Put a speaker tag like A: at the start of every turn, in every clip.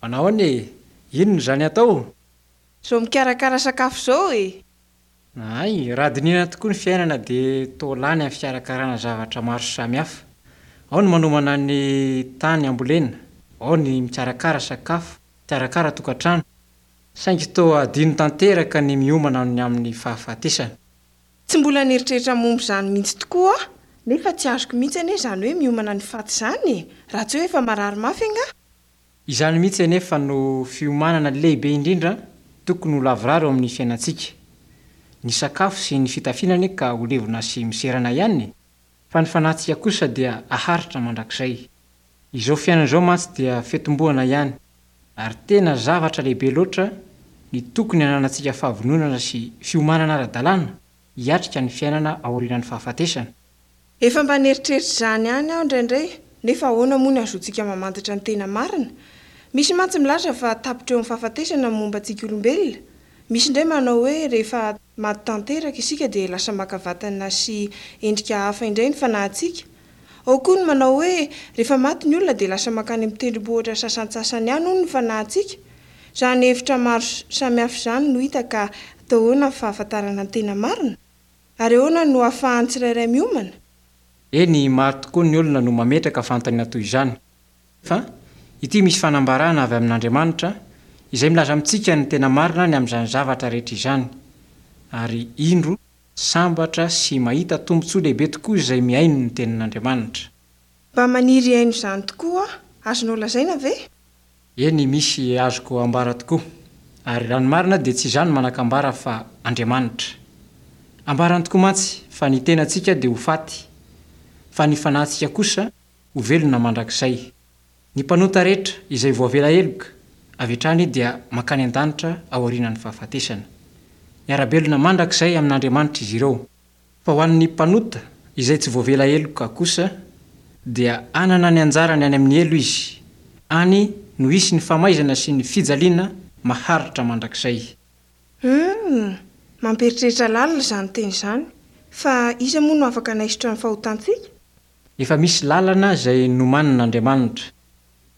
A: Manahoana e! Inona izany atao?
B: Izao mikarakara sakafo izao e!
A: Hay, raha dinihina tokoa ny fiainana dia toa lany amin'ny fikarakarana zavatra maro samihafa. Ao ny manomana ny tany hambolena, ao ny mikarakara sakafo, mikarakara tokantrano. Saingy toa adino tanteraka ny miomana ny amin'ny fahafatesana.
B: Tsy mbola nieritreritra momba izany mihitsy tokoa aho, nefa tsy azoko mihitsy anie izany hoe miomana ny faty izany e! Raha tsy hoe efa marary mafy angaha?
A: Izany mihitsy anefa no fiomanana lehibe indrindra tokony ho lavorary eo amin'ny fiainantsika. Ny sakafo sy ny fitafiana anie ka ho levona sy miserana ihany e! Fa ny fanahintsika kosa dia haharitra mandrakizay. Izao fiainana izao mantsy dia fitomboana ihany, ary tena zavatra lehibe loatra ny tokony hananantsika fahavononana sy fiomanana ara-dalàna hiatrika ny fiainana aorianan'ny fahafatesana.
B: Efa mba nieritreritra izany ihany aho indraindray, nefa ahoana moa ny ahazoantsika mamantatra ny tena marina? Misy mantsy milaza fa tapitra eo amin'ny fahafatesana ny momba antsika olombelona. Misy indray manao hoe rehefa maty tanteraka isika dia lasa maka vatana sy endrika hafa indray ny fanahintsika. Ao koa ny manao hoe rehefa maty ny olona dia lasa mankany amin'ny tendrombohitra sasantsasany any hono ny fanahintsika. Izany hevitra maro samihafa izany no hita ka atao ahoana ny fahafantarana ny tena marina? Ary ahoana no ahafahan'ny tsirairay miomana?
A: Eny, maro tokoa ny olona no mametraka fanontaniana toy izany. Fa, ity misy fanambarana avy amin'Andriamanitra, izay milaza amintsika ny tena marina ny amin'izany zavatra rehetra izany. Ary, indro, sambatra sy mahita tombontsoa lehibe tokoa izay mihaino ny tenin'Andriamanitra.
B: Mba maniry hihaino izany tokoa aho. Azonao lazaina ve?
A: Eny, misy azoko ambara tokoa. Ary raha ny marina dia tsy izaho no manan-kambara fa Andriamanitra. Ambarany tokoa mantsy fa ny tenantsika dia ho faty, fa ny fanahintsika kosa ho velona mandrakizay. Ny mpanota rehetra izay voavela heloka avy hatrany dia mankany an-danitra aorianan'ny fahafatesana. Miara-belona mandrakizay amin'Andriamanitra izy ireo. Fa ho an'ny mpanota izay tsy voavela heloka kosa, dia hanana ny anjarany any amin'ny helo izy, any no hisy ny famaizana sy ny fijaliana maharitra mandrakizay.
B: Humm! Mampieritreritra lalina izany teny izany. Fa iza moa no afaka hanaisotra ny fahotantsika?
A: Efa misy lalana izay nomanin'Andriamanitra.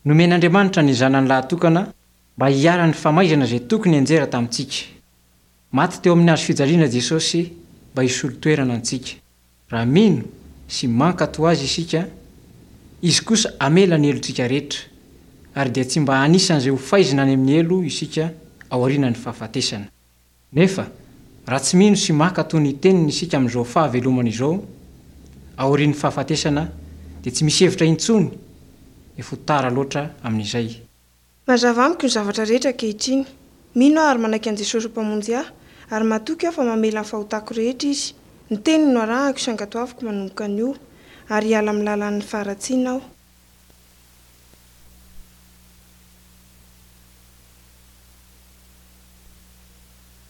A: Nomen'Andriamanitra ny Zanany lahatokana mba hiharan'ny famaizana izay tokony hianjera tamintsika. Maty teo amin'ny hazo fijaliana Jesosy mba hisolo toerana antsika. Raha mino sy mankatò Azy isika, Izy kosa hamela ny helotsika rehetra, ary dia tsy mba anisan'izay ho faizina any amin'ny helo isika aorianan'ny fahafatesana. Nefa, raha tsy mino sy mankatò ny Teniny isika amin'izao fahavelomana izao, aorian'ny fahafatesana, dia tsy misy hevitra intsony, efa ho tara loatra amin'izay.
B: Mazava amiko ny zavatra rehetra ankehitriny. Mino aho ary manaiky an'i Jesosy ho Mpamonjy ahy, ary matoky aho fa mamela ny fahotako rehetra Izy. Ny Teniny no arahako sy ankatoaviko manomboka anio, ary hiala amin'ny lalan'ny faharatsiana aho.